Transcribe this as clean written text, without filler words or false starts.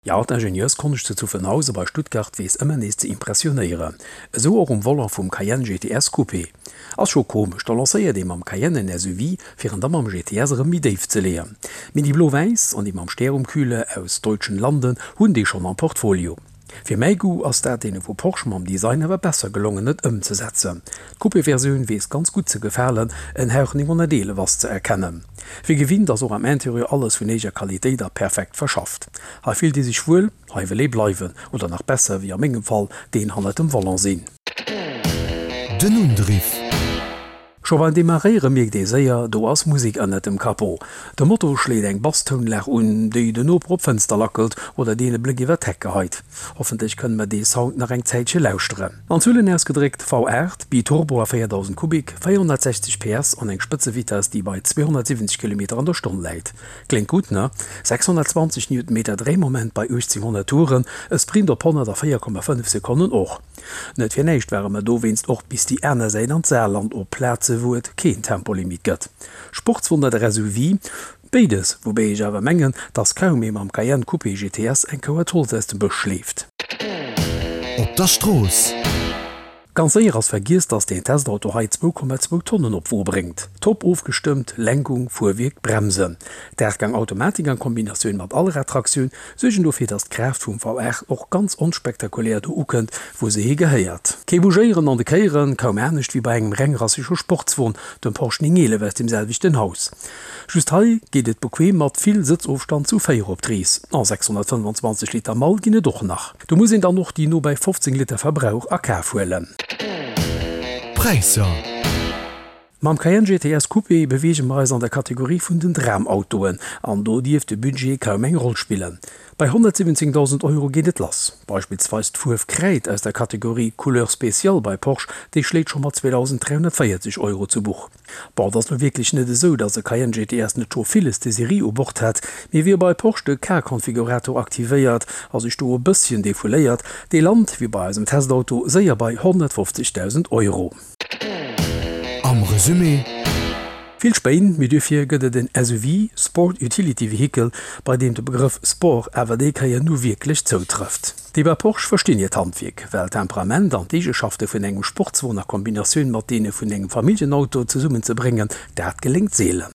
Jo, d'Ingenieurskonsch zu Zuffenhausen bei Stuttgart weess ëmmer nees ze impressionéieren. Esou och um Volant vum Cayenne GTS Coupé. Ass scho komesch, da lancéiert ee mam Cayenne en SUV, fir en da mam GTS erëm méi déif ze leeën. Mee déi blo-wäiss an déi mam Stär um Küle aus deutschen Landen hunn dee schonn am Portfolio. Fir mäi Goût ass dat deene vu Porsche mam Design awer besser gelongen et ëmzesetzen. D'Coupé-Versioun weess ganz gutt ze gefalen, en Hauch 911 ass ze erkennen. Wéi gewinnt ass och am Interieur alles vun héijer Qualitéit a perfekt verschafft. Hei fillt ee sech wuel, hei wëll ee bleiwen oder nach besser, wéi a mengem Fall, deen hannert dem Volant sinn. Den Undriff. Scho beim Demarréiere mierkt ee séier, do ass Musek ënnert dem Capot. De Motor schléit eng Basstounlag un, déi den Noper op d'Fënster lackelt oder deen e Bléck iwwer d'Heck geheit. Hoffentlech kënne mer dee Sound nach eng Zäitche lauschteren. An Zuelen ausgedréckt, V8, Biturbo a 4000 Kubik, 460 PS an eng Spëtzevitess, déi bei 270 Kilometer an der Stonn läit. Kléngt gutt, ne? 620 Newtonmeter Dréimoment bei 1800 Touren, e Sprint op 100 a 4,5 Sekonnen och. Net fir näischt ware mer dowéinst och bis déi aner Säit an d'Saarland op Plaze wou et keen Tempolimit gëtt. Sportswon oder SUV? Béides, woubäi ech awer mengen, dass kaum ee mam Cayenne Coupé GTS eng Kouert Holz aus dem Bësch schleeft. Op der Strooss. Ganz séier ass vergiess, dass deen Testauto hei 2,2 Tonnen op d'Wo bréngt. Top ofgestëmmt, Lenkung, Fuerwierk, Bremsen. D'Aachtgang-Automatik an Kombinatioun mat Allradtraktioun suergen dofir, dass d'Kraaft vum V8 och ganz onspektakulär do ukënnt, wou se hi gehéiert. Kee Bougéieren an de Kéieren, kaum anescht wéi bei engem rengrassege Sportswon, dem Porsche 911 aus dem selwechten Haus. Just hei geet et bequem mat vill Sëtzofstand zu 4 op d'Rees. A 625 Liter Mall ginn et och nach. Do muss een dann och déi no bei 15 Liter Verbrauch a Kaf huelen. Präisser. Mam Cayenne GTS Coupé beweege mer eis an der Kategorie vun den Dramautoen an do dierft de Budget kaum eng Roll spillen. Bei 117.000 Euro geet et lass. Beispillsweis d'Fuerf Kräid aus der Kategorie Couleur spéciale bei Porsche, déi schléit scho mat 2.340 Euro zu Buch. Bon, et ass lo wierklech net esou, dass e Cayenne GTS net scho villes de Serie u Bord hätt, mee wie bei Porsche de Car-Konfigurator aktivéiert a sech do e bësschen defouléiert, dee lant, wéi bei eisem Testauto, séier bei 150.000 Euro. Am Resumé. Vill Spéin, mee duerfir gëtt et en SUV, Sport Utility Vehicle, bei deem de Begrëff Sport awer déi Kéier nu wierklech zoutrëfft. Déi bei Porsche verstinn hiert Handwierk, well d'Temperament an d'Eegeschafte vun engem Sportswon a Kombinatioun mat deene vun engem Familljenauto zesummen ze bréngen, dat geléngt seelen.